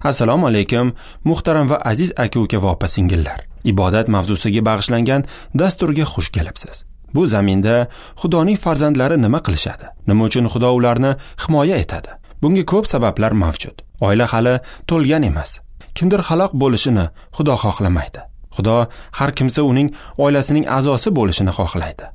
Assalomu alaykum, muhtaram va aziz aka-uka va opa-singillar. Ibodat mavzusiga bag'ishlangan dasturga xush kelibsiz. Bu zaminda Xudoning farzandlari nima qilishadi? Nima uchun Xudo ularni himoya etadi? Bunga ko'p sabablar mavjud. Oila hali to'lgan emas. Kimdir halok bo'lishini Xudo xohlamaydi. Xudo har kimsa uning oilasining a'zosi bo'lishini xohlaydi.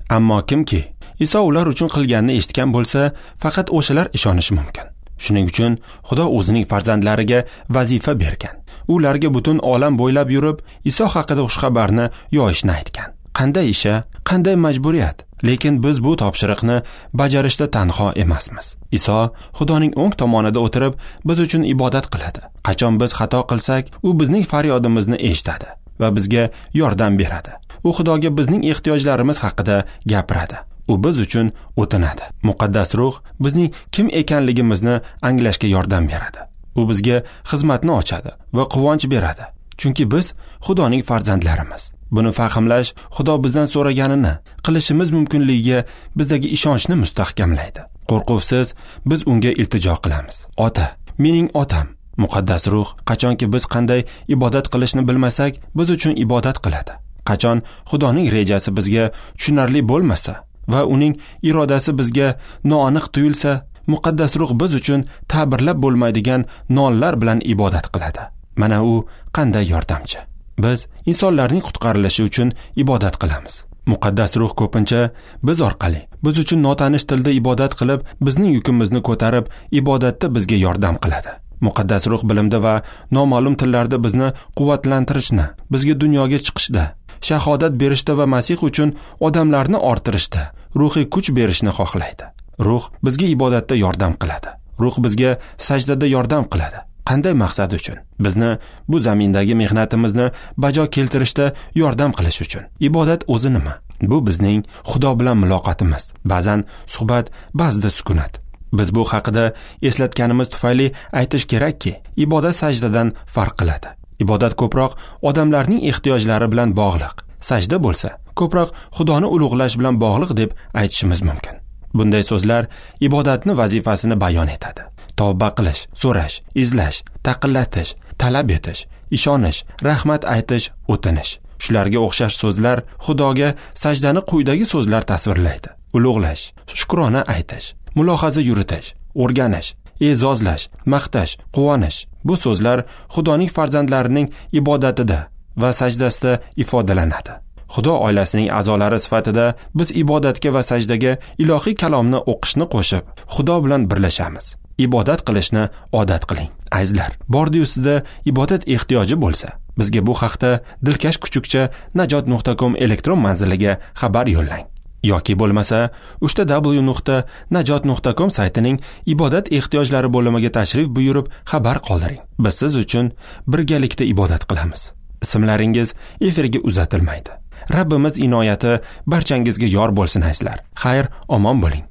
Ammo kimki Iso ular uchun qilganini eshitgan bo'lsa, faqat o'shalar ishonishi mumkin. Shuning uchun Xudo o'zining farzandlariga vazifa bergan. Ularga butun olam bo'ylab yurib, Iso haqida xushxabarni yoyishni aytgan. Qanday isha, qanday majburiyat? Lekin biz bu topshiriqni bajarishda tanho emasmiz. Iso Xudoning o'ng tomonida o'tirib, biz uchun ibodat qiladi. Qachon biz xato qilsak, u bizning faryodimizni eshitadi va bizga yordam beradi. U Xudoga bizning ehtiyojlarimiz haqida gapiradi. U biz uchun o'tinadi. Muqaddas ruh bizning kim ekanligimizni anglashga yordam beradi. U bizga xizmatni ochadi va quvonch beradi. Chunki biz Xudoning farzandlarimiz. Buni fahmlash Xudo bizdan so'raganini qilishimiz mumkinligiga bizdagi ishonchni mustahkamlaydi. Qo'rquvsiz biz unga iltijo qilamiz. Ota, mening otam. Muqaddas ruh qachonki biz qanday ibodat qilishni bilmasak, biz uchun ibodat qiladi. Qachon Xudoning rejasi bizga tushunarli bo'lmasa va uning irodasi bizga noaniq tuyulsa, muqaddas ruh biz uchun ta'birlab bo'lmaydigan nonlar bilan ibodat qiladi. Mana u qanday yordamchi. Biz insonlarning qutqarilishi uchun ibodat qilamiz. Muqaddas ruh ko'pincha biz orqali, biz uchun notanish tilda ibodat qilib, bizning yukimizni ko'tarib, ibodatda bizga yordam qiladi. Muqaddas ruh bilimda va noma'lum tillarda bizni quvvatlantirishni, bizga dunyoga chiqishda, shahodat berishda va Masih uchun odamlarni orttirishda ruhiy kuch berishni xohlaydi. Ruh bizga ibodatda yordam qiladi. Ruh bizga sajdada yordam qiladi. Qanday maqsad uchun? Bizni bu zamindagi mehnatimizni bajo keltirishda yordam qilish uchun. Ibodat o'zi nima? Bu bizning Xudo bilan muloqotimiz. Ba'zan suhbat, ba'zida sukunat. Biz bu haqida eslatganimiz tufayli aytish kerakki, ibodat sajdadan farq qiladi. Ibodat ko'proq odamlarning ehtiyojlari bilan bog'liq. Sajda bo'lsa, ko'proq Xudoni ulug'lash bilan bog'liq deb aytishimiz mumkin. Bunday so'zlar ibodatni vazifasini bayon etadi. Tavba qilish, so'rash, izlash, taqillatish, talab etish, ishonish, rahmat aytish, o'tinish. Shularga o'xshash so'zlar Xudoga sajdani quyidagi so'zlar tasvirlaydi. Ulug'lash, shukrona aytish, mulohaza yuritish, o'rganish, e'zozlash, maqtash, quvonish. Bu so'zlar Xudoning farzandlarining ibodatida va sajdasida ifodalanadi. Xudo oilasining a'zolari sifatida biz ibodatga va sajdaga ilohiy kalomni o'qishni qo'shib, Xudo bilan birlashamiz. Ibodat qilishni odat qiling. Azizlar, bordi-yu sizda ibodat ehtiyoji bo'lsa, bizga bu haqda dilkash kuchukcha najot.com elektron manziliga xabar yo'llang. Yoki bo'lmasa www.najot.com saytining ibodat ehtiyojlari bo'limiga tashrif buyurib xabar qoldiring. Biz siz uchun birgalikda ibodat qilamiz. Ismlaringiz efirga uzatilmaydi. Rabbimiz inoyati barchangizga yor bo'lsin azizlar. Xayr, omon bo'ling.